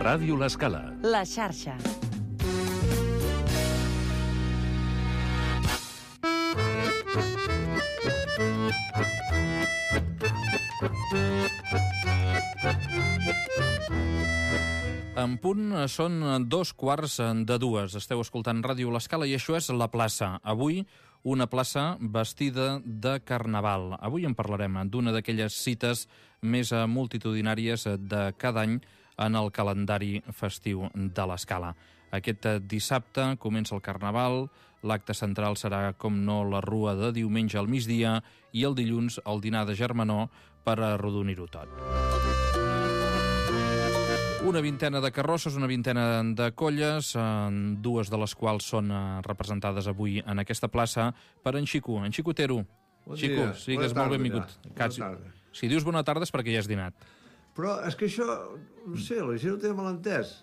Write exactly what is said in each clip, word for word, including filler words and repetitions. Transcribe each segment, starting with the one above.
Ràdio L'Escala. La xarxa. En punt són dos quarts de dues. Esteu escoltant Ràdio L'Escala i això és La Plaça. Avui, una plaça vestida de carnaval. Avui en parlarem d'una d'aquelles cites més multitudinàries de cada any en el calendari festiu de l'Escala. Aquest dissabte comença el carnaval, l'acte central serà, com no, la rua de diumenge al migdia i el dilluns el dinar de germanor per arrodonir-ho tot. Una vintena de carrosses, una vintena de colles, dues de les quals són representades avui en aquesta plaça per en Xico. En Xico Otero. Bon Xico, dia. sigues Bona molt tarda, benvingut. ja. Quasi- Bona tarda. Si dius bona tarda és perquè ja has dinat. Però és que això, no sé, la gent ho té mal entès.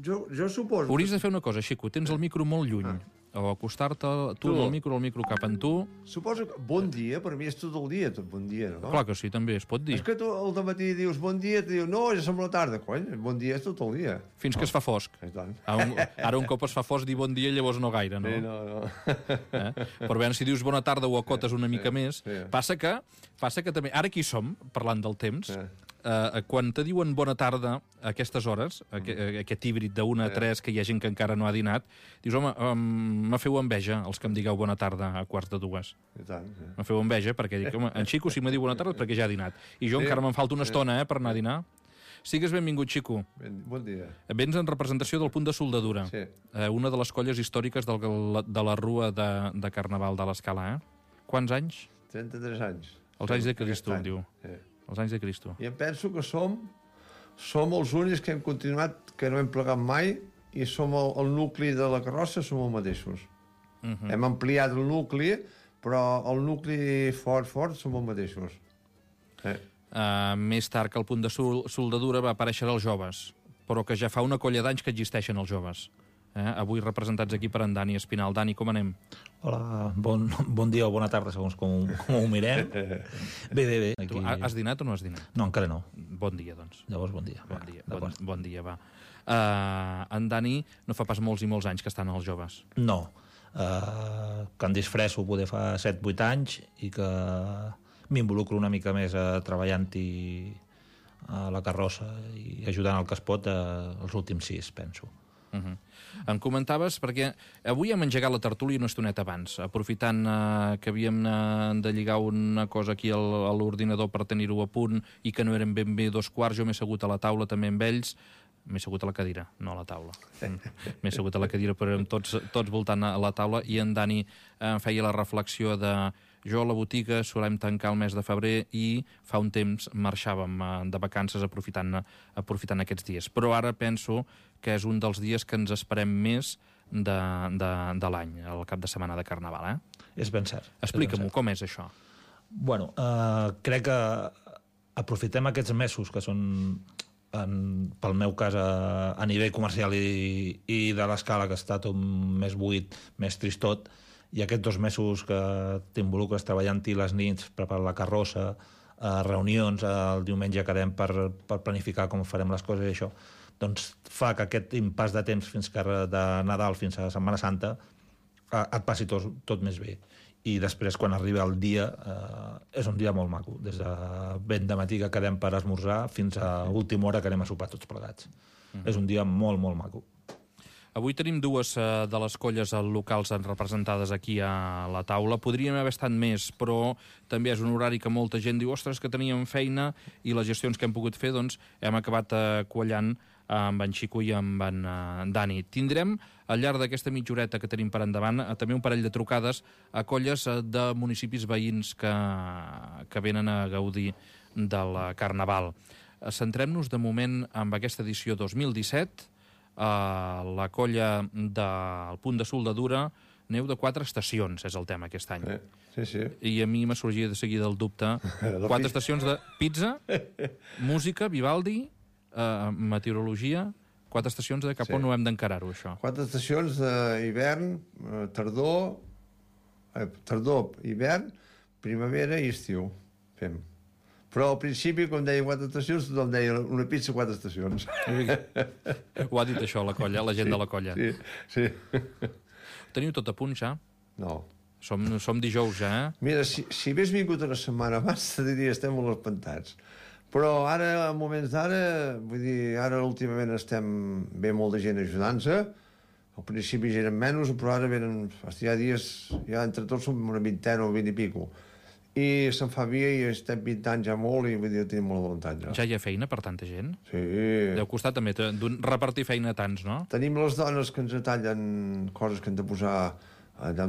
Jo, jo suposo... Hauries de fer una cosa, Xico, tens el micro molt lluny. Ah. O acostar-te tu Tu. del micro, el micro cap en tu. Suposo que bon dia, per mi és tot el dia, tot bon dia, no? Clar que sí, també es pot dir. És que tu al dematí dius bon dia, et diu no, ja som la tarda, cony, bon dia és tot el dia. Fins que es fa fosc. I tant. Ara un, ara un cop es fa fosc, dir bon dia, llavors no gaire, no? Sí, no, no. Eh? Però bé, si dius bona tarda ho acotes una mica més. sí. Passa que, passa que també... Ara aquí som, parlant del temps, Sí. eh, quan te diuen bona tarda a aquestes hores, Mm. aqu aquest híbrid d'una a tres, que hi ha gent que encara no ha dinat, dius, home, um, me feu enveja els que em digueu bona tarda a quarts de dues. I tant, sí. Me feu enveja perquè dic, home, en Xico si me diu bona tarda és perquè ja ha dinat. I jo Sí. encara me'n falta una estona, eh, per anar a dinar. Sigues benvingut, Xico. Ben, bon dia. Vens en representació del Punt de Soldadura, Sí. eh, una de les colles històriques del, de la rua de, de Carnaval de l'Escala, eh? Quants anys? trenta-tres anys. Els anys de Aquest Cristo, any. diu. Sí. Els anys de Cristo. I em penso que som som els únics que hem continuat, que no hem plegat mai, i som el, el nucli de la carrossa, som els mateixos. Uh -huh. Hem ampliat el nucli, però el nucli fort, fort, som els mateixos. Eh. Uh, més tard que el Punt de Sol Soldadura va aparèixer els joves, però que ja fa una colla d'anys que existeixen els joves. Eh? Avui representats aquí per en Dani Espinal. Dani, com anem? Hola, bon, bon dia o bona tarda, segons com, com ho mirem. Bé, bé, bé. Tu Aquí... has dinat o no has dinat? No, encara no. Bon dia, doncs. Llavors, bon dia. Bon dia, Va, bon, d'acord. bon dia, va. Uh, en Dani no fa pas molts i molts anys que estan els joves. No. Uh, que em disfresso poder fa set vuit anys i que m'involucro una mica més uh, treballant-hi a la carrossa i ajudant el que es pot uh, els últims sis, penso. Uh -huh. Em comentaves, perquè avui hem engegat la tertúlia una estoneta abans, aprofitant eh, que havíem eh, de lligar una cosa aquí al, a l'ordinador per tenir-ho a punt i que no eren ben bé dos quarts, jo m'he assegut a la taula també amb ells, m'he assegut a la cadira, no a la taula. M'he assegut a la cadira, però érem tots, tots voltant a la taula, i en Dani eh, feia la reflexió de jo a la botiga solem tancar el mes de febrer i fa un temps marxàvem eh, de vacances aprofitant, aprofitant aquests dies. Però ara penso que és un dels dies que ens esperem més de, de, de l'any, el cap de setmana de Carnaval, eh? És ben cert. Explica-m'ho, com és això? Bueno, uh, crec que aprofitem aquests mesos que són, en, pel meu cas, a, a nivell comercial i, i de l'Escala, que està tot més buit, més tristot, i aquests dos mesos que t'involucres treballant-hi les nits, preparar la carrossa, eh, reunions, el diumenge quedem per, per planificar com farem les coses i això, doncs fa que aquest impàs de temps fins que de Nadal fins a Setmana Santa eh, et passi tot, tot més bé. I després, quan arriba el dia, eh, és un dia molt maco. Des de ben de matí que quedem per esmorzar fins a última hora que anem a sopar tots plegats. Mm. És un dia molt, molt maco. Avui tenim dues uh, de les colles locals representades aquí a la taula. Podríem haver estat més, però també és un horari que molta gent diu ostres, que teníem feina, i les gestions que hem pogut fer, doncs hem acabat uh, quallant uh, amb en Xico i amb en uh, Dani. Tindrem, al llarg d'aquesta mitja horeta que tenim per endavant, uh, també un parell de trucades a colles uh, de municipis veïns que, que venen a gaudir del Carnaval. Uh, Centrem-nos de moment amb aquesta edició dos mil disset, Uh, la colla del Punt de Soldadura, neu de quatre estacions és el tema aquest any. Sí, sí. I a mi m'ha sorgit de seguida el dubte. Quatre estacions de pizza, música, Vivaldi, uh, meteorologia, quatre estacions de cap Sí. on no hem d'encarar-ho, això. Quatre estacions d'hivern, eh, tardor, eh, tardor, hivern, primavera i estiu. Fem. Però al principi, com deia quatre estacions, tothom deia una pizza, quatre estacions. Ho ha dit això, la colla, la gent sí, de la colla. Sí, sí. Teniu tot a punt, ja? No. Som, som dijous, ja, eh? Mira, si, si hagués vingut una setmana abans, te diria estem molt espantats. Però ara, en moments d'ara, vull dir, ara últimament estem... Ve molta gent ajudant-se. Al principi eren menys, però ara venen... Hi ha dies, ja entre tots som una vintena o vint i pico. I se'n fa via i estem pintant ja molt i vull dir, tenim molt voluntat ja. Ja hi ha feina per tanta gent? Sí. Deu costar també repartir feina a tants, no? Tenim les dones que ens tallen coses que hem de posar allà,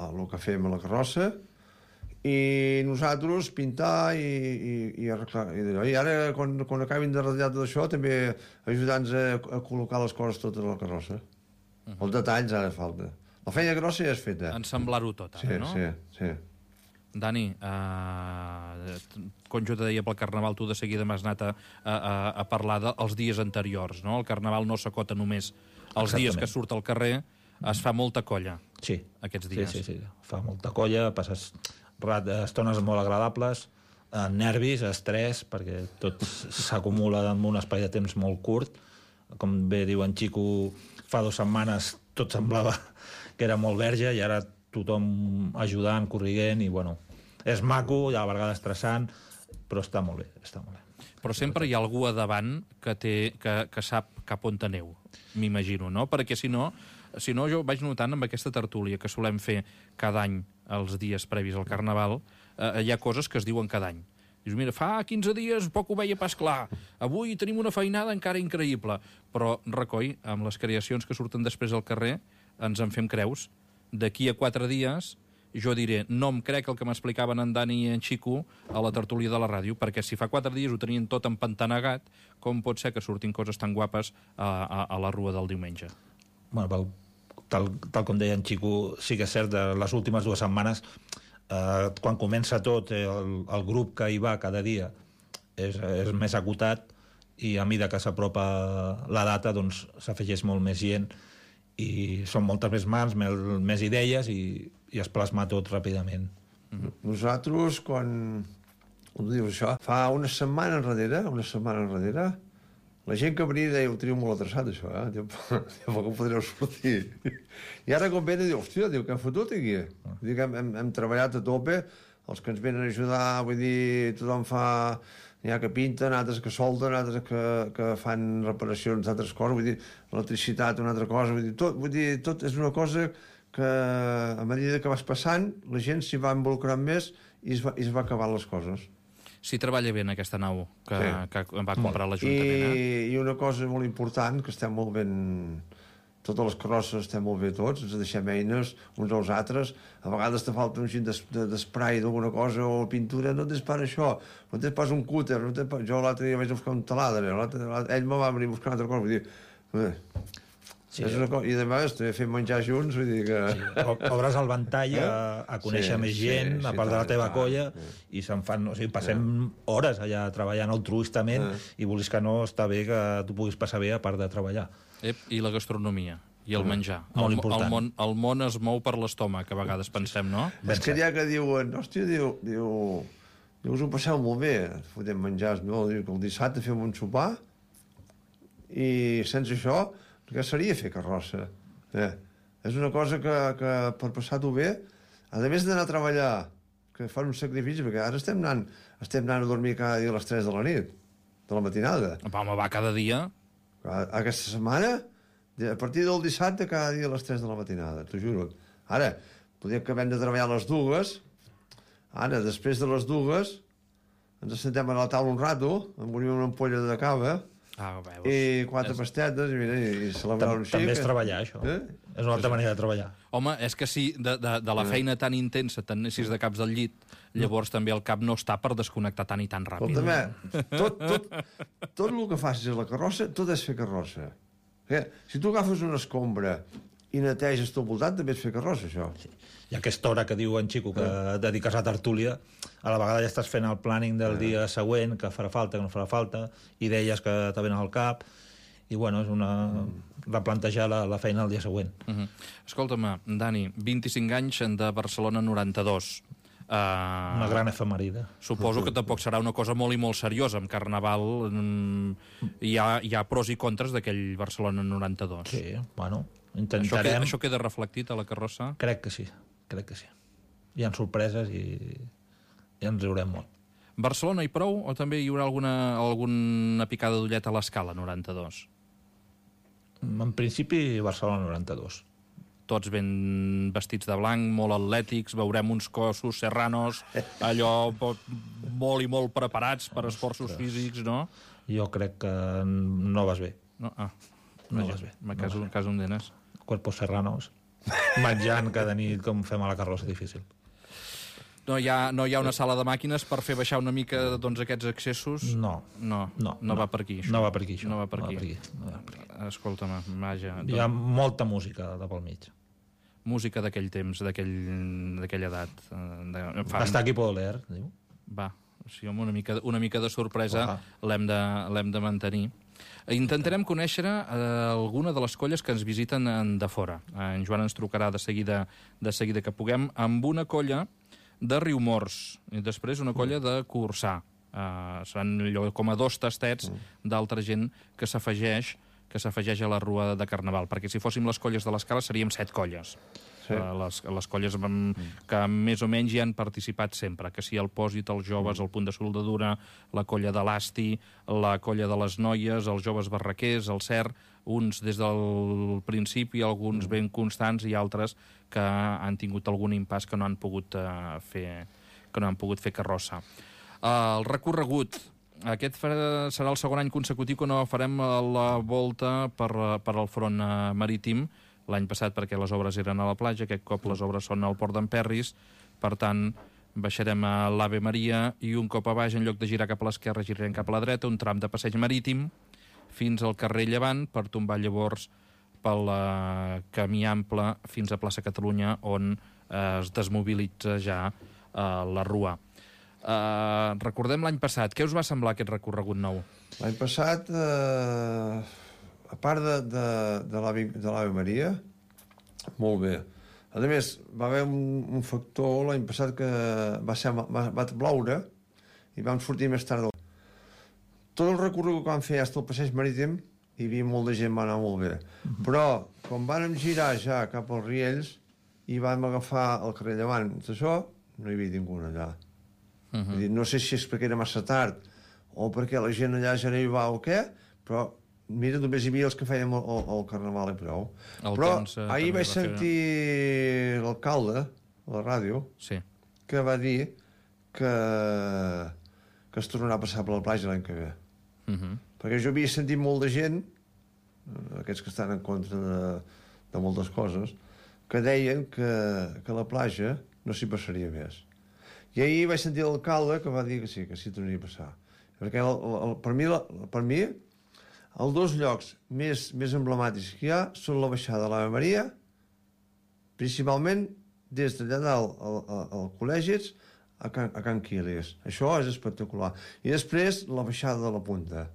el que fem a la carrossa, i nosaltres pintar i, i, i arreglar. I ara, quan, quan acabin de ratllar tot això, també ajudar-nos a, a col·locar les coses totes a la carrossa. Uh -huh. Els detalls ara falta. La feina grossa ja és feta. Ensamblar-ho tot, ara, sí, no? Sí, sí. Dani, eh, com jo te deia pel Carnaval, tu de seguida m'has anat a, a, a parlar dels dies anteriors, no? El Carnaval no s'acota només els Exactament. dies que surt al carrer, es fa molta colla, sí. aquests dies. Sí, sí, sí. Fa molta colla, passes rat, estones molt agradables, eh, nervis, estrès, perquè tot s'acumula en un espai de temps molt curt. Com bé diu en Xico, fa dues setmanes tot semblava que era molt verge i ara tothom ajudant, corriguent, i bueno, és maco, a la vegada estressant, però està molt bé, està molt bé. Però sempre hi ha algú a davant que, té, que, que sap cap on aneu, m'imagino, no? Perquè si no, si no, jo vaig notant amb aquesta tertúlia que solem fer cada any els dies previs al Carnaval, eh, hi ha coses que es diuen cada any. Dius, mira, fa quinze dies poc ho veia pas clar, avui tenim una feinada encara increïble, però, recoi, amb les creacions que surten després al carrer, ens en fem creus. D'aquí a quatre dies jo diré, no em crec el que m'explicaven en Dani i en Xico a la tertúlia de la ràdio, perquè si fa quatre dies ho tenien tot empantanegat, com pot ser que surtin coses tan guapes a, a, a la rua del diumenge? Bueno, pel, tal, tal com deia en Xico, sí que és cert, de les últimes dues setmanes, eh, quan comença tot, eh, el, el grup que hi va cada dia és, és més acotat, i a mesura que s'apropa la data, doncs s'afegeix molt més gent, i són moltes més mans, més, més idees, i, i es plasma tot ràpidament. Mm-hmm. Nosaltres, quan... Com dius això? Fa una setmana enrere, una setmana enrere, la gent que venia deia, ho teniu molt atreçat, això, eh? Diu, com podreu sortir? I ara, com venen, diu, hòstia, diu, què hem fotut aquí? Diu que hem, hem, hem treballat a tope, els que ens venen a ajudar, vull dir, tothom fa... N'hi ha que pinten, altres que solten, altres que, que fan reparacions d'altres coses, vull dir, l'electricitat, una altra cosa, vull dir, tot, vull dir, tot és una cosa que a mesura que vas passant, la gent s'hi va involucrant més i es va, i es va acabant les coses. Si treballa bé en aquesta nau que, sí. que va comprar l'Ajuntament, I, eh? I una cosa molt important, que estem molt ben... Totes les carrosses estem molt bé tots, ens deixem eines uns als altres, a vegades te falta un gin d'esprai d'alguna cosa o pintura, no tens pas això, no tens pas un cúter, no tens pas... Jo l'altre dia vaig buscar un taladre, ell me va venir a buscar una altra cosa, vull dir... Eh, sí, és una cosa... I a més, també fem menjar junts, vull dir que... Sí, obres el ventall a, a conèixer sí, més gent, sí, a part sí, de la teva tant, colla, sí. I se'n fan... O sigui, passem sí. hores allà treballant altruistament sí. I volis que no, està bé que tu puguis passar bé a part de treballar. Ep, i la gastronomia, i el menjar. Molt el, important. El món, el món es mou per l'estómac, a vegades pensem, no? És que hi ha que diuen, hòstia, diu, diu, diu, us ho passeu molt bé, fotem menjars, no? Diu que el dissabte fem un sopar i sense això, què seria fer carrossa? Eh? És una cosa que, que per passar-ho bé, a més d'anar a treballar, que fan un sacrifici, perquè ara estem anant, estem anant a dormir cada dia a les tres de la nit, de la matinada. Home, va cada dia... Aquesta setmana, a partir del dissabte, cada dia a les tres de la matinada, t'ho juro. Ara, podem que hem de treballar a les dues, ara, després de les dues, ens sentem a la taula un rato, amb una ampolla de cava, ah, veus, i quatre és... pastetes, i, mira, i celebrar un xic. També és treballar, això. Eh? És una altra manera de treballar. Home, és que si de, de, de la feina tan intensa te'n anessis de caps del llit, llavors també el cap no està per desconnectar tan i tan ràpid. Però també, tot, tot, tot el que facis a la carrossa, tot és fer carrossa. Eh? Si tu agafes una escombra i neteges tot voltant, també és fer carrossa, això. Sí. I aquesta hora que diu en Xico que eh. dediques a tertúlia, a la vegada ja estàs fent el planning del eh. dia següent, que farà falta, que no farà falta, idees que te venen al cap, i bueno, és una... Mm. replantejar la, la feina el dia següent. Uh -huh. Escolta'm, Dani, vint-i-cinc anys de Barcelona noranta-dos. Uh, Una gran efemerida. Suposo que tampoc serà una cosa molt i molt seriosa. Amb Carnaval mm, hi, ha, hi ha pros i contres d'aquell Barcelona noranta-dos. Sí, bueno, Això, intentarem... queda, això queda reflectit a la carrossa? Crec que sí, crec que sí. Hi ha sorpreses i, i ens riurem molt. Barcelona i prou? O també hi haurà alguna, alguna picada d'ullet a l'Escala noranta-dos? En principi, Barcelona noranta-dos. Tots ben vestits de blanc, molt atlètics, veurem uns cossos serranos, allò molt i molt preparats per esforços físics, no? Jo crec que no vas bé. No? Ah, No vaja, vas bé. me caso, no caso un denes. Cuerpos serranos, menjant cada nit com fem a la carrossa, difícil. No hi, ha, no hi ha una sala de màquines per fer baixar una mica doncs, aquests excessos? No. No, No, no, no. va per aquí, això. No va per aquí, això. No va per No va aquí. per aquí, no va per aquí. Escolta'm, vaja. Hi ha molta música de pel mig. Música d'aquell temps, d'aquell- d'aquella edat. eh, De, fa, Hasta aquí puedo leer, diu. Va, sí, home, una mica, una mica de sorpresa Uah. l'hem de, l'hem de mantenir. Intentarem conèixer eh, alguna de les colles que ens visiten en, de fora. Eh, en Joan ens trucarà de seguida, de seguida que puguem, amb una colla de Riumors i després una colla de Corçà. Eh, seran allò com a dos tastets d'altra gent que s'afegeix que s'afegeix a la rua de Carnaval, perquè si fóssim les colles de l'Escala seríem set colles. Sí. Eh, les, les colles mm. que més o menys hi han participat sempre, que si el Pòsit, els joves, el Punt de Soldadura, la colla de l'Asti, la colla de les noies, els joves barraquers, el Cer, uns des del principi, alguns ben constants i altres que han tingut algun impàs que no han pogut uh, fer que no han pogut fer carrossa. Uh, el recorregut, aquest farà, serà el segon any consecutiu que no farem la volta per, per al front uh, marítim, l'any passat perquè les obres eren a la platja, aquest cop les obres són al port d'Emperris, per tant, baixarem a l'Ave Maria i un cop a baix, en lloc de girar cap a l'esquerra, girarem cap a la dreta, un tram de passeig marítim, fins al carrer Llevant, per tombar llavors pel uh, camí ample fins a plaça Catalunya, on uh, es desmobilitza ja uh, la rua. Uh, recordem l'any passat. Què us va semblar aquest recorregut nou? L'any passat, eh, a part de, de, de l'Ave de l'Ave Maria, molt bé. A més, va haver un, un factor l'any passat que va, ser, va, va ploure i vam sortir més tard. Tot el recorregut que vam fer fins al passeig marítim, hi havia molta gent, va anar molt bé. Uh-huh. Però, quan vam girar ja cap als Riells i vam agafar el carrer Llevant, això, no hi havia ningú allà. Uh -huh. dir, no sé si és perquè era massa tard o perquè la gent allà ja no hi va o què, però mira, només hi havia els que fèiem el, el, el carnaval i prou. El però temps, eh, ahir també vaig va fer- sentir l'alcalde a la ràdio Sí. que va dir que, que es tornarà a passar per la platja l'any que ve. Uh -huh. Perquè jo havia sentit molt de gent, eh, aquests que estan en contra de, de moltes coses, que deien que, que la platja no s'hi passaria més. I ahir vaig sentir l'alcalde que va dir que sí, que sí tornaria a passar. Perquè el, el, per, mi, la, per mi els dos llocs més, més emblemàtics que hi ha són la baixada de l'Ave Maria, principalment des d'allà dalt al, al, al Col·legis a Can, a Can Quiles. Això és espectacular. I després la baixada de la Punta.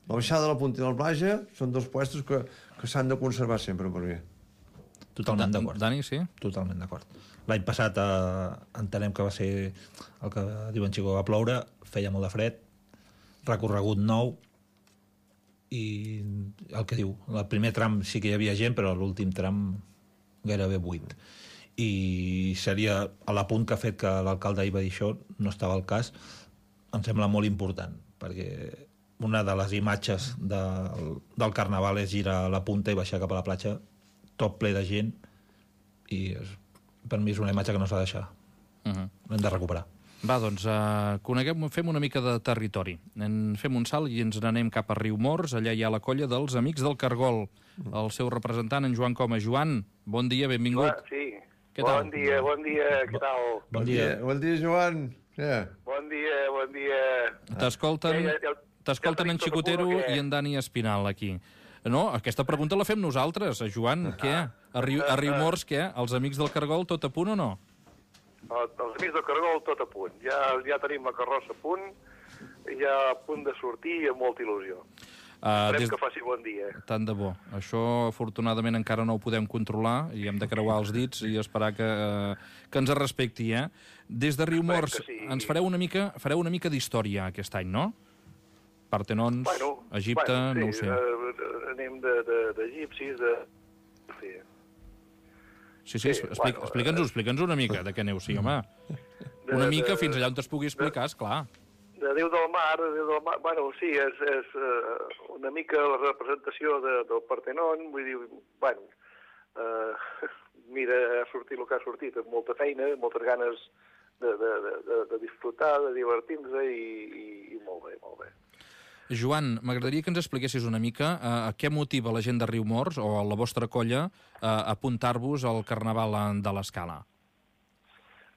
La baixada de la Punta i la platja són dos puestos que, que s'han de conservar sempre per mi. Totalment Da- d'acord. Dani, sí? Totalment d'acord. L'any passat eh, entenem que va ser el que diuen Xico, va ploure, feia molt de fred, recorregut nou i el que diu, el primer tram sí que hi havia gent, però l'últim tram gairebé buit. I seria a l'apunt que ha fet que l'alcalde ahir va dir això, no estava al cas, em sembla molt important, perquè una de les imatges del, del carnaval és girar a la punta i baixar cap a la platja, tot ple de gent, i és, per mi és una imatge que no s'ha de deixar. Uh -huh. L'hem de recuperar. Va, doncs, uh, coneguem, fem una mica de territori. En fem un salt i ens n'anem cap a Riumors. Allà hi ha la colla dels Amics del Cargol. El seu representant, en Joan Coma. Joan, bon dia, benvingut. Ah, sí. Què bon tal? dia, bon dia, què tal? Bon dia. Bon dia, Joan. Yeah. Bon dia, bon dia. T'escolten Ja, ja, ja, t'escolten ja en tenim tot a Xicotero punt, o què? i en Dani Espinal, aquí. No, aquesta pregunta la fem nosaltres. Joan, què? A, Riu, a Riumors, què? Els Amics del Cargol, tot a punt o no? El- Els amics del Cargol, tot a punt. Ja, ja tenim la carrossa a punt, ja a punt de sortir i amb molta il·lusió. Uh, Esperem des... que faci bon dia. Tant de bo. Això, afortunadament, encara no ho podem controlar i hem de creuar els dits i esperar que, uh, que ens respecti, eh? Des de Riumors sí. ens fareu una mica, fareu una mica d'història aquest any, no? Partenons, Bueno, Egipte, bueno, sí, no ho sé. Uh, anem d'egipcis, de... de... Sí. Sí, sí, sí, explica, bueno, explica'ns-ho, explica'ns una mica de què aneu, sí, home. Una de- mica de- fins allà on es pugui explicar, esclar. De Déu del Mar, de Déu del Mar, bueno, sí, és, és uh, una mica la representació de, del Partenon, vull dir, bueno, uh, mira, ha sortit el que ha sortit, amb molta feina, moltes ganes de, de, de, de, de disfrutar, de divertir-nos i, i, i molt bé, molt bé. Joan, m'agradaria que ens expliquessis una mica uh, què motiva la gent de Riumors o la vostra colla uh, a apuntar-vos al Carnaval de l'Escala.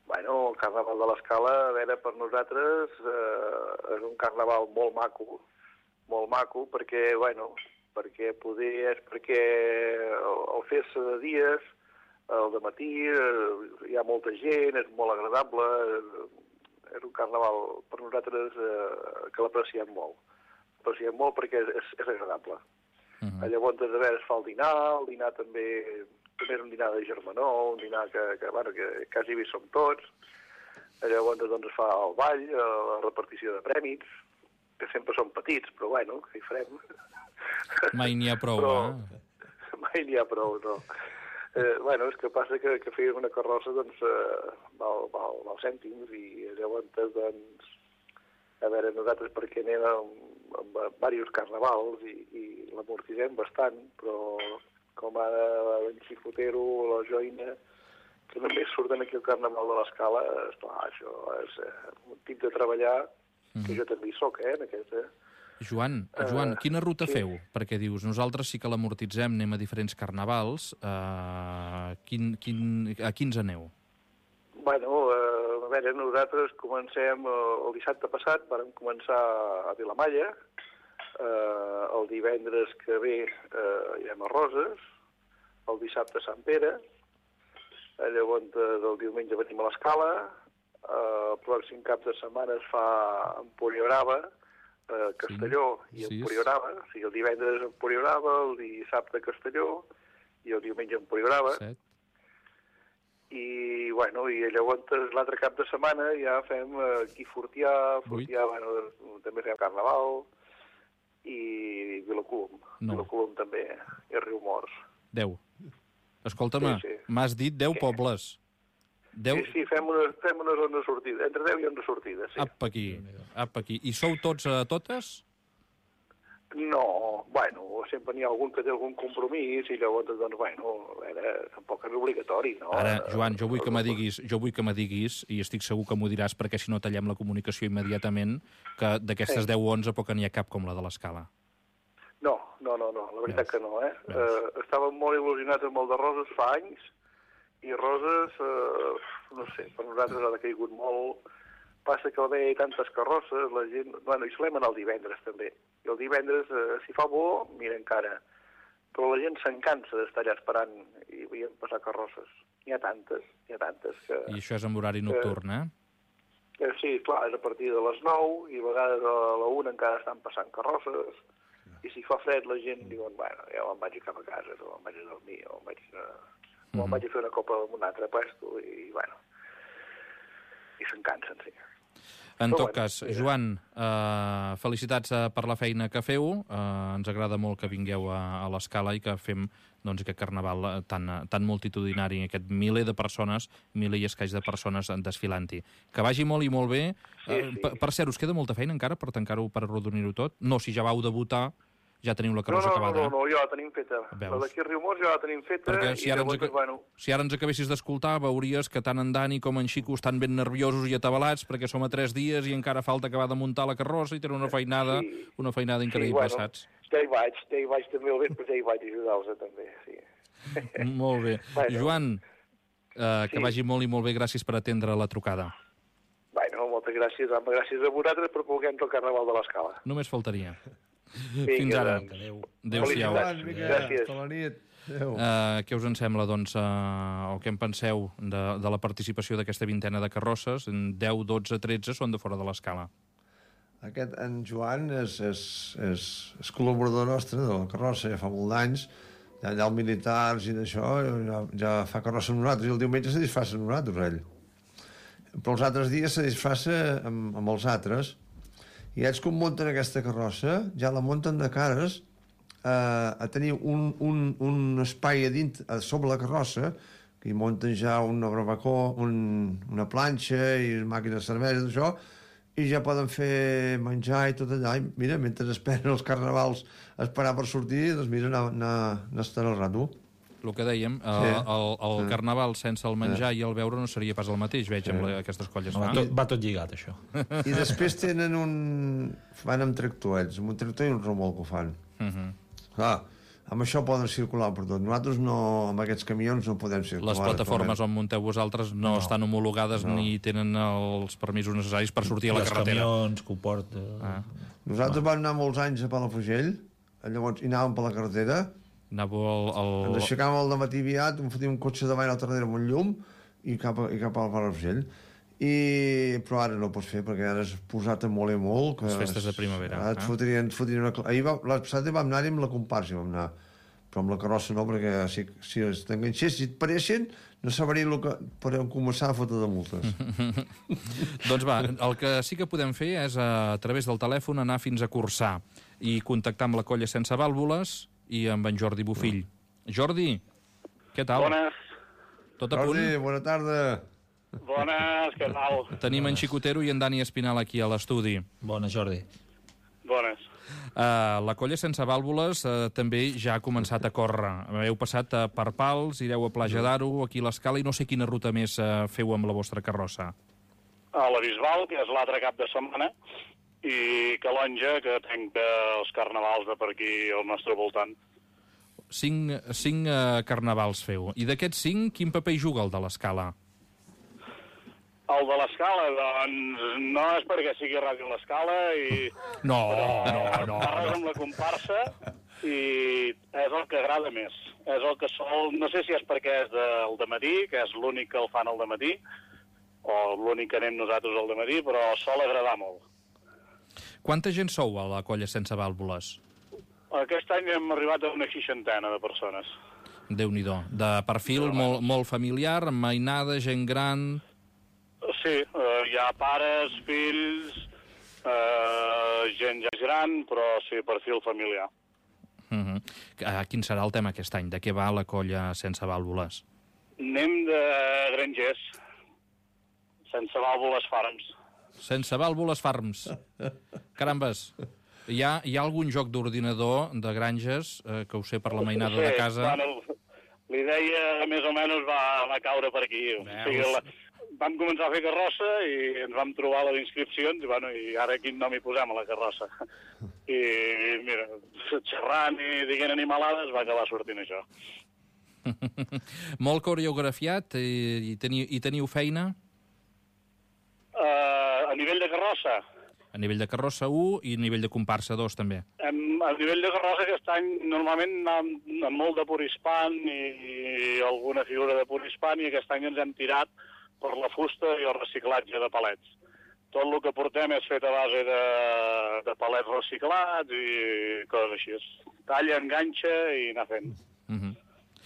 Bueno, el Carnaval de l'Escala, a veure, per nosaltres eh, és un carnaval molt maco, molt maco, perquè, bueno, perquè poder és perquè el, el fer-se de dies, el de matí, eh, hi ha molta gent, és molt agradable, eh, és un carnaval per nosaltres eh, que l'apreciem molt. L'apreciem molt perquè és, és agradable. Uh-huh. Llavors, a veure, es fa el dinar, el dinar també... també és un dinar de germanor, un dinar que, que, bueno, que quasi hi som tots. Llavors doncs, es fa el ball, la repartició de prèmits, que sempre són petits, però bueno, què hi farem? Mai n'hi ha prou, però, eh? Mai n'hi ha prou, no. Eh, bueno, és que passa que, que fer una carrossa doncs, eh, val, val, val cèntims i llavors, doncs, a veure, nosaltres perquè anem amb, amb diversos carnavals i, i l'amortitzem bastant, però com ara l'en Xicotero o la Joina, que només surten aquí al Carnaval de l'Escala, esclar, això és eh, un tip de treballar, que mm. jo també hi soc, eh, en aquest... Eh. Joan, Joan, Uh, quina ruta sí. feu? Perquè dius, nosaltres sí que l'amortitzem, anem a diferents carnavals. Uh, quin, quin, a quins aneu? Bueno, eh, a veure, nosaltres comencem eh, el dissabte passat, vam començar a Vilamalla, eh, el divendres que ve eh, irem a Roses, el dissabte a Sant Pere, eh, llavors eh, del diumenge venim a l'Escala, eh, el pròxim cap de setmana es fa a Empuriabrava, eh, Castelló Sí, i sí, Empuriabrava, o sigui, el divendres a Empuriabrava, el dissabte a Castelló i el diumenge a Empuriabrava. Set. I, bueno, i llavors l'altre cap de setmana ja fem eh, aquí Fortià, Fortià, bueno, també fem Carnaval, i Vilacolom. No. Vilacolom també, i Riumors. Deu. Escolta-me, Sí, sí. m'has dit deu Sí. pobles. Deu... Sí, sí, fem una, fem una ronda de sortida, entre deu i onze sortides, sí. Apa aquí, apa aquí. I sou tots a totes? No, bueno, sempre n'hi ha algun que té algun compromís i llavors, doncs, bueno, a veure, tampoc és obligatori, no? Ara, Joan, jo vull que me diguis, jo vull que me diguis, i estic segur que m'ho diràs perquè si no tallem la comunicació immediatament, que d'aquestes Sí. deu o onze poc n'hi ha cap com la de l'Escala. No, no, no, no, la veritat Veus? que no, eh? Veus? eh? Estàvem molt il·lusionats amb el de Roses fa anys, i Roses, eh, no sé, per nosaltres ha decaigut molt. Passa que al haver tantes carrosses, la gent... Bueno, i solem anar el divendres, també. I el divendres, eh, si fa bo, mira encara. Però la gent se'n cansa d'estar allà esperant i veient passar carrosses. N'hi ha tantes, n'hi ha tantes que... I això és en horari nocturn, eh? Eh, sí, clar, és a partir de les nou i a vegades a la una encara estan passant carrosses. I si fa fred la gent diuen, bueno, ja me'n vaig cap a casa, o me'n vaig a dormir, o me'n vaig a, o me'n vaig a fer una copa amb un altre puesto, i bueno, i se'n cansen, sí. En Però tot bueno, cas, mira. Joan, eh, felicitats eh, per la feina que feu. Eh, ens agrada molt que vingueu a, a l'Escala i que fem doncs, aquest carnaval eh, tan, eh, tan multitudinari, aquest miler de persones, miler i escaig de persones desfilant-hi. Que vagi molt i molt bé. Sí, Eh, sí. per, per cert, us queda molta feina encara per tancar-ho, per arrodonir-ho tot? No, si ja vau debutar, ja teniu la No, carrossa no, no, acabada. no, no, ja la tenim feta. Veus? La d'aquí a Riumors ja la tenim feta. Perquè si i ara, ens, llavors, aca- bueno, si ara ens acabessis d'escoltar, veuries que tant en Dani com en Xico estan ben nerviosos i atabalats perquè som a tres dies i encara falta acabar de muntar la carrossa i tenen una feinada, Sí. una feinada increïble, bueno, saps? Ja hi vaig, ja hi vaig també al vespre, ja hi vaig ajudar-los també, sí. Molt bé. Bueno. Joan, eh, que Sí. vagi molt i molt bé, gràcies per atendre la trucada. Bueno, moltes gràcies, home, gràcies a vosaltres per poder entrar al Carnaval de l'Escala. Només faltaria. Vinga, Fins ara. doncs. Adéu. Adéu-siau. Felicitats. Joan, vinga, Gràcies. tota la nit. Adéu. Uh, què us en sembla, doncs, uh, o què en penseu de, de la participació d'aquesta vintena de carrosses? En deu, dotze, tretze són de fora de l'escala. aquest, en Joan, és, és, és, és col·laborador nostre de la carrossa, ja fa molt d'anys, ja allà els militars i d'això, ja, ja fa carrossa amb nosaltres, i el diumenge se disfressa amb nosaltres, ell. Però els altres dies se disfressa amb, amb els altres, i ells quan munten aquesta carrossa, ja la munten de cares eh, a tenir un, un, un espai a dins, a sobre la carrossa, que hi munten ja una barbacó, un, una planxa i màquines de cervesa, d'això, i ja poden fer menjar i tot allà. I mira, mentre esperen els carnavals a esperar per sortir, doncs mira, anar, anar, anar estant al rato. El que dèiem, sí. el, el, el sí. carnaval sense el menjar sí. i el beure no seria pas el mateix, veig, sí. amb la, aquestes colles. No, va, tot, va tot lligat, això. I després tenen un... Van amb tractor, ells, amb un tractor i un remolc ho fan. Uh -huh. Clar, amb això poden circular per tot. Nosaltres no, amb aquests camions no podem circular. Les plataformes on munteu vosaltres no, no. estan homologades no. ni tenen els permisos necessaris per sortir a la les carretera. Els camions que ho porten... Ah. Nosaltres vam anar molts anys a Palafrugell, llavors hi anàvem per la carretera, Anàveu el, el... ens aixecàvem al dematí aviat, em fotíem un cotxe davant a l'altra darrere amb un llum i cap, a, i cap al Palafrugell. I... Però ara no ho pots fer perquè ara has posat a moler molt. Que les festes de primavera. Ara et fotrien, et fotrien una... Ahir va, la passada vam anar-hi amb la comparsa, vam anar. Però amb la carrossa no, perquè si, si els t'enganxés, si et pareixen, no sabrien el que podem començar a fotre de multes. Doncs va, el que sí que podem fer és a, a través del telèfon anar fins a Corçà i contactar amb la colla Sense Vàlvules i amb en Jordi Bofill. Mm. Jordi, què tal? Bones. Tot a Jordi, punt? Jordi, bona tarda. Bones, què tal? Tenim en Xicotero i en Dani Espinal aquí a l'estudi. Bona, Jordi. Bones. Uh, la colla Sense Vàlvules uh, també ja ha començat a córrer. Heu passat uh, per Pals, ireu a Plaja d'Aro, aquí a l'Escala, i no sé quina ruta més uh, feu amb la vostra carrossa. A la Bisbal, que és l'altre cap de setmana, i Calonja, que tanca els carnavals de per aquí al nostre voltant. Cinc, cinc uh, carnavals feu. I d'aquests cinc, quin paper hi juga el de l'Escala? El de l'Escala, doncs, no és perquè sigui Ràdio L'Escala i... No, no, no. Parles amb la comparsa i és el que agrada més. És el que sol... No sé si és perquè és del dematí, que és l'únic que el fan al dematí, o l'únic que anem nosaltres al dematí, però sol agradar molt. Quanta gent sou a la colla Sense Vàlvules? Aquest any hem arribat a una seixantena de persones. Déu-n'hi-do. De perfil molt, molt familiar, amb mainada, gent gran... Sí, eh, hi ha pares, fills, eh, gent ja gran, però sí, perfil familiar. Uh -huh. uh, quin serà el tema aquest any? De què va la colla Sense Vàlvules? Anem de grangers, Sense Vàlvules Farms. Sense Vàlvules Farms. Carambes. Hi ha, hi ha algun joc d'ordinador de granges, eh, que ho sé per la mainada sí, de casa? Bueno, l'idea més o menys va, va caure per aquí. O sigui, la, vam començar a fer carrossa i ens vam trobar les inscripcions i, bueno, i ara quin nom hi posem a la carrossa. I mira, xerrant i dient animalades va acabar sortint això. Molt coreografiat i, i, teniu, i teniu feina? Uh, a nivell de carrossa? A nivell de carrossa un i a nivell de comparsa dos també. Em, a nivell de carrossa aquest any normalment amb, amb molt de purispan i, i alguna figura de purispan i aquest any ens hem tirat per la fusta i el reciclatge de palets. Tot el que portem és fet a base de, de palets reciclats i coses així. Talla, enganxa i anar fent. Uh -huh.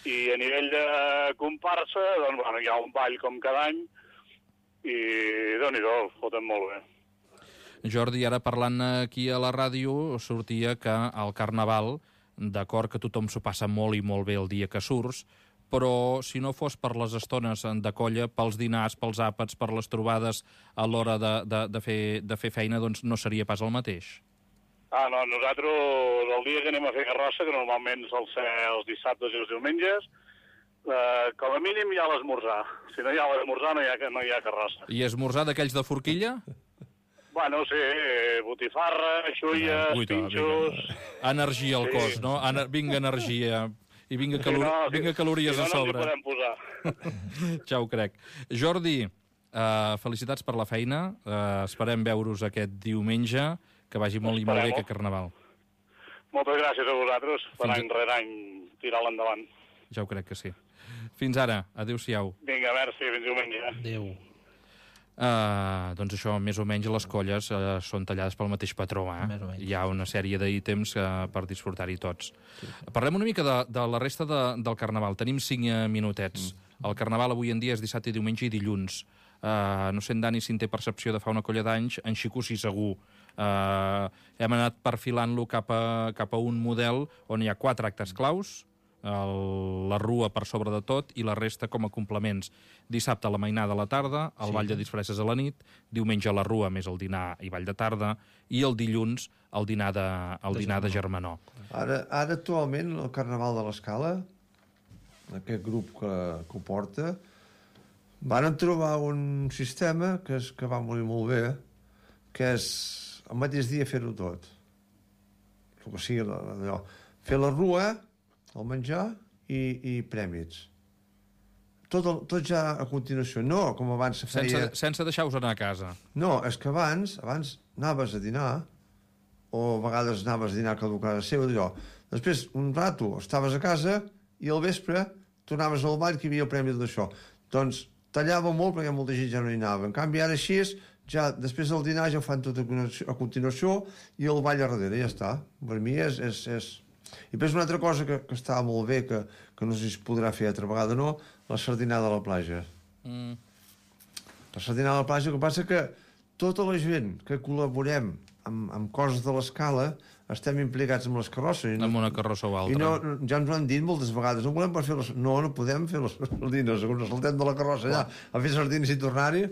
I a nivell de comparsa, doncs, bueno, hi ha un ball com cada any i déu-n'hi-do, ho foten molt bé. Jordi, ara parlant aquí a la ràdio, sortia que al Carnaval, d'acord que tothom s'ho passa molt i molt bé el dia que surts, però si no fos per les estones de colla, pels dinars, pels àpats, per les trobades a l'hora de, de, de, fer, de fer feina, doncs no seria pas el mateix. Ah, no, nosaltres el dia que anem a fer carrossa, que normalment sol ser els dissabtes i els diumenges, eh, com a mínim hi ha l'esmorzar. Si no hi ha l'esmorzar no hi ha, no hi ha carrossa. I esmorzar d'aquells de forquilla? Bueno, sí, botifarra, xulles, ah, pinxos... Energia al cos, sí. No? Ener vinga energia... I vinga, calor... sí, no, vinga calories si no, a sobre. No, no ens hi podem posar. Ja ho crec. Jordi, uh, felicitats per la feina. Uh, esperem veure-us aquest diumenge. Que vagi molt i molt bé aquest Carnaval. Moltes gràcies a vosaltres per any rere any tirar-la endavant. Ja ho crec que sí. Fins ara. Adéu-siau. Vinga, merci. Fins diumenge. Adéu. Uh, doncs això, més o menys, les colles uh, són tallades pel mateix patró. Eh? Més o menys. Hi ha una sèrie d'ítems uh, per disfrutar-hi tots. Sí. Parlem una mica de, de la resta de, del Carnaval. Tenim cinc uh, minutets. Mm. El Carnaval avui en dia és dissabte, diumenge i dilluns. Uh, no sé en Dani si en té percepció de fa una colla d'anys, en Xico sí segur. Uh, hem anat perfilant-lo cap a, cap a un model on hi ha quatre actes claus, el, la rua per sobre de tot i la resta com a complements. Dissabte la mainada a la tarda, el sí. ball de disfresses a la nit, diumenge la rua més el dinar i ball de tarda, i el dilluns el dinar de, el de, dinar de Germanó. Ara, ara actualment el Carnaval de l'Escala, aquest grup que, que ho porta, van trobar un sistema que, és, que va molt, molt bé, que és el mateix dia fer-ho tot. El que sigui allò. Fer la rua, el menjar i, i prèmits. Tot, el, tot ja a continuació. No, com abans se feia... Sense, sense deixar-vos anar a casa. No, és que abans, abans anaves a dinar, o a vegades anaves a dinar cada casa seva, d'allò. Després, un rato, estaves a casa i al vespre tornaves al ball que hi havia el premi d'això. Doncs tallava molt perquè molta gent ja no hi anava. En canvi, ara així és, ja, després del dinar ja ho fan tot a continuació i el ball a darrere, ja està. Per mi és... és, és... I després una altra cosa que, que estava molt bé, que, que no sé si es podrà fer altra vegada o no, la sardinada a la platja. Mm. La sardinada a la platja, el que passa que tota la gent que col·laborem amb, amb coses de l'escala estem implicats amb les carrosses. Amb una carrossa o altra. I no, ja ens ho han dit moltes vegades, no volem per fer les... No, no podem fer les sardines, segons saltem de la carrossa allà, a fer sardines i tornar-hi.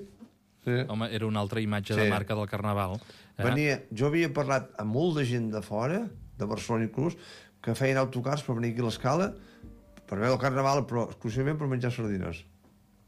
Sí. Home, era una altra imatge sí. de marca del Carnaval. Eh? Venia, jo havia parlat amb molt de gent de fora, de Barcelona inclús, que feien autocars per venir aquí a l'Escala per veure el Carnaval, però exclusivament per menjar sardines.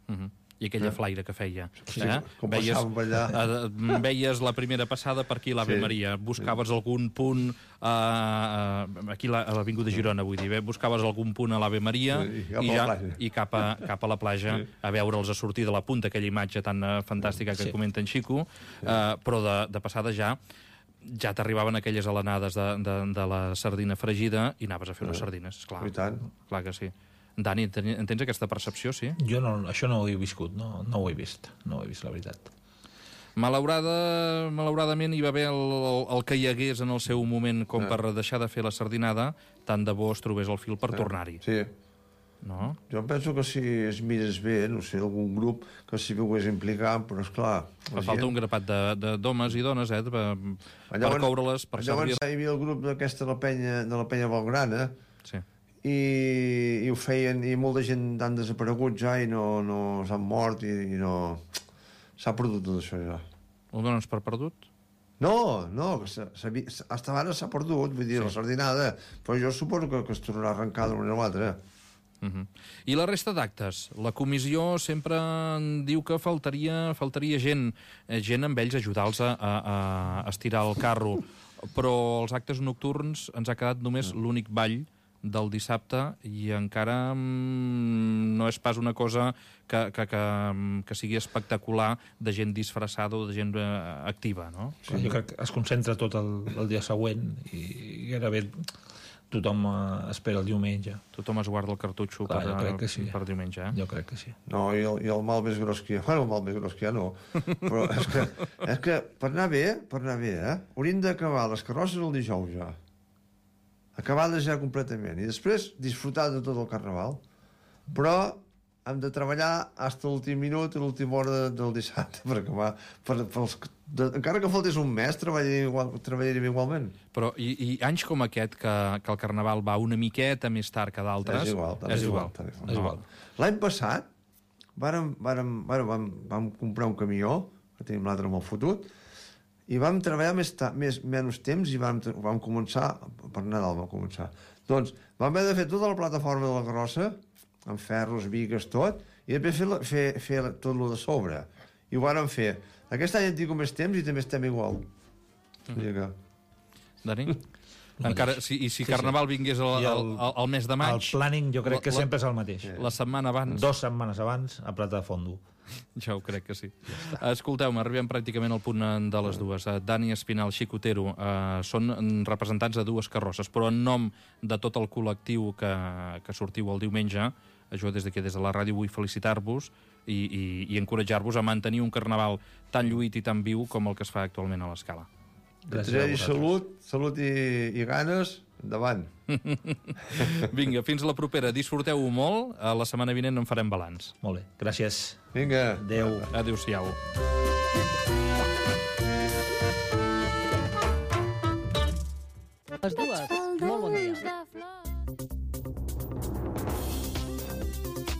Uh -huh. I aquella eh? flaire que feia. Sí, eh? com veies, passàvem allà. Eh, veies la primera passada per aquí a l'Ave sí. Maria. Buscaves sí. algun punt eh, aquí a l'Avinguda de Girona, vull dir. Eh? Buscaves algun punt a l'Ave Maria sí, i, i, ja, i cap, a, cap a la platja sí. a veure'ls a sortir de la punta, aquella imatge tan uh, fantàstica que sí. comenta en Xico, sí. eh, però de, de passada ja ja t'arribaven aquelles alenades de, de, de la sardina fregida i anaves a fer unes sardines, esclar. I tant. Clar que sí. Dani, en tens aquesta percepció, sí? Jo no, això no ho he viscut, no, no ho he vist, no ho he vist, la veritat. Malaurada, malauradament hi va haver el, el, el que hi hagués en el seu moment com ah. per deixar de fer la sardinada, tant de bo es trobés el fil per ah. tornar-hi. Sí. No? Jo penso que si es mires bé, no sé, algun grup que s'hi pogués implicar, però esclar... Fa falta gent... un grapat d'homes i dones, eh, per, per coure-les, per servir... Llavors hi havia el grup d'aquesta de la penya, de la penya Valgrana, sí. i, i ho feien, i molta gent han desaparegut ja i no, no s'han mort i, i no... S'ha perdut tot això ja. Ho dones per perdut? No, no, hasta ara s'ha perdut, vull dir, sí. la sardinada, però jo suposo que, que es tornarà a arrencar d'una manera o l'altra. Uh -huh. I la resta d'actes? La comissió sempre diu que faltaria, faltaria gent, gent amb ells ajudar-los a, a, a estirar el carro, però els actes nocturns ens ha quedat només l'únic ball del dissabte i encara mm, no és pas una cosa que, que, que, que sigui espectacular de gent disfressada o de gent eh, activa, no? Sí, jo crec que es concentra tot el, el dia següent i gairebé tothom uh, espera el diumenge. Tothom es guarda el cartutxo Clar, per, que sí. per diumenge, eh? Jo crec que sí. No, i el, i el mal més gros que hi ha... Bueno, el mal més gros que hi ha no. Però és que, és que per anar bé, per anar bé, eh? Hauríem d'acabar les carrosses el dijous ja. Acabades ja completament. I després disfrutar de tot el Carnaval. Però hem de treballar fins a l'últim minut i l'última hora de, del dissabte per acabar. Per, per els, de, encara que faltés un mes, treballaríem, igual, treballaríem igualment. Però i, i anys com aquest, que, que el Carnaval va una miqueta més tard que d'altres... És igual. És, és igual. igual. igual. igual. L'any passat vàrem, vàrem, vàrem, vam, vam comprar un camió, que tenim l'altre molt fotut, i vam treballar més, ta, més menys temps i vam, vam començar... Per Nadal vam començar. Doncs vam haver de fer tota la plataforma de la carrossa, amb ferros, vigues, tot, i després fer, la, fer, fer tot el de sobre. I ho vàrem fer. Aquest any hem tingut més temps i també estem igual. Mm. Que... Dani? Encara, si, I si sí, Carnaval sí. vingués el, el, el, el mes de maig... El planning jo crec que la, sempre és el mateix. La setmana abans... Dos setmanes abans, a Plata de Fondo. Ja ho crec que sí. Ja Escolteu-me, arribem pràcticament al punt de les dues. Dani Espinal, Xicotero, eh, són representants de dues carrosses, però en nom de tot el col·lectiu que, que sortiu el diumenge, Jo des d'aquí, des de la ràdio, vull felicitar-vos i, i, i encoratjar-vos a mantenir un carnaval tan lluït i tan viu com el que es fa actualment a l'Escala. Gràcies a vosaltres. Salut, salut i, i ganes, endavant. Vinga, fins la propera. Disfruteu-ho molt. A la setmana vinent en farem balanç. Molt bé, gràcies. Vinga. Adéu. Adéu-siau. Les dues. Molt bon